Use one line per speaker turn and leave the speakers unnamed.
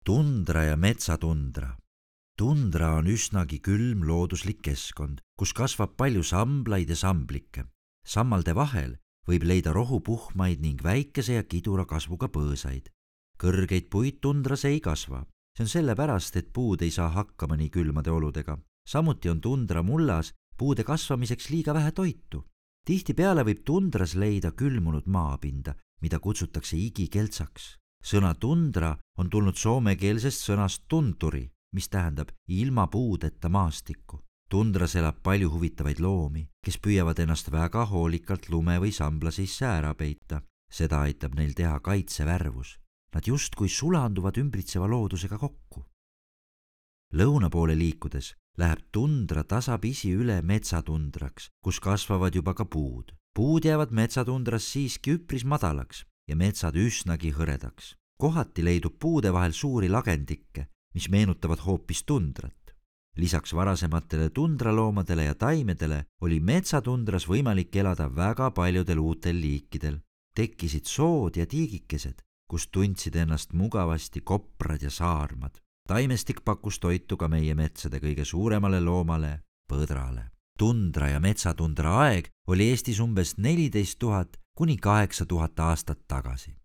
Tundra ja metsatundra. Tundra on üsnagi külm looduslik keskkond, kus kasvab palju samblaid ja samblikke. Sammalde vahel võib leida rohupuhmaid ning väikese ja kidura kasvuga põõsaid. Kõrgeid puid tundras ei kasva. See on sellepärast, et puud ei saa hakkama nii külmade oludega. Samuti on tundra mullas puude kasvamiseks liiga vähe toitu. Tihtipeale võib tundras leida külmunud maapinda, mida kutsutakse igikeltsaks. Sõna tundra on tulnud soomekeelsest sõnast tunturi, mis tähendab ilma puudeta maastikku. Tundras elab palju huvitavaid loomi, kes püüavad ennast väga hoolikalt lume või sambla sisse ära peita. Seda aitab neil teha kaitsevärvus. Nad justkui sulanduvad ümbritseva loodusega kokku. Lõuna poole liikudes läheb tundra tasapisi üle metsatundraks, kus kasvavad juba ka puud. Puud jäävad metsatundras siiski üpris madalaks ja metsad üsnagi hõredaks. Kohati leidub puude vahel suuri lagendikke, mis meenutavad hoopis tundrat. Lisaks varasematele tundraloomadele ja taimedele oli metsatundras võimalik elada väga paljudel uutel liikidel. Tekkisid sood ja tiigikesed, kus tundsid ennast mugavasti koprad ja saarmad. Taimestik pakkus toitu ka meie metsade kõige suuremale loomale, põdrale. Tundra ja metsatundra aeg oli Eestis umbes 14 000 kuni 8000 aastat tagasi.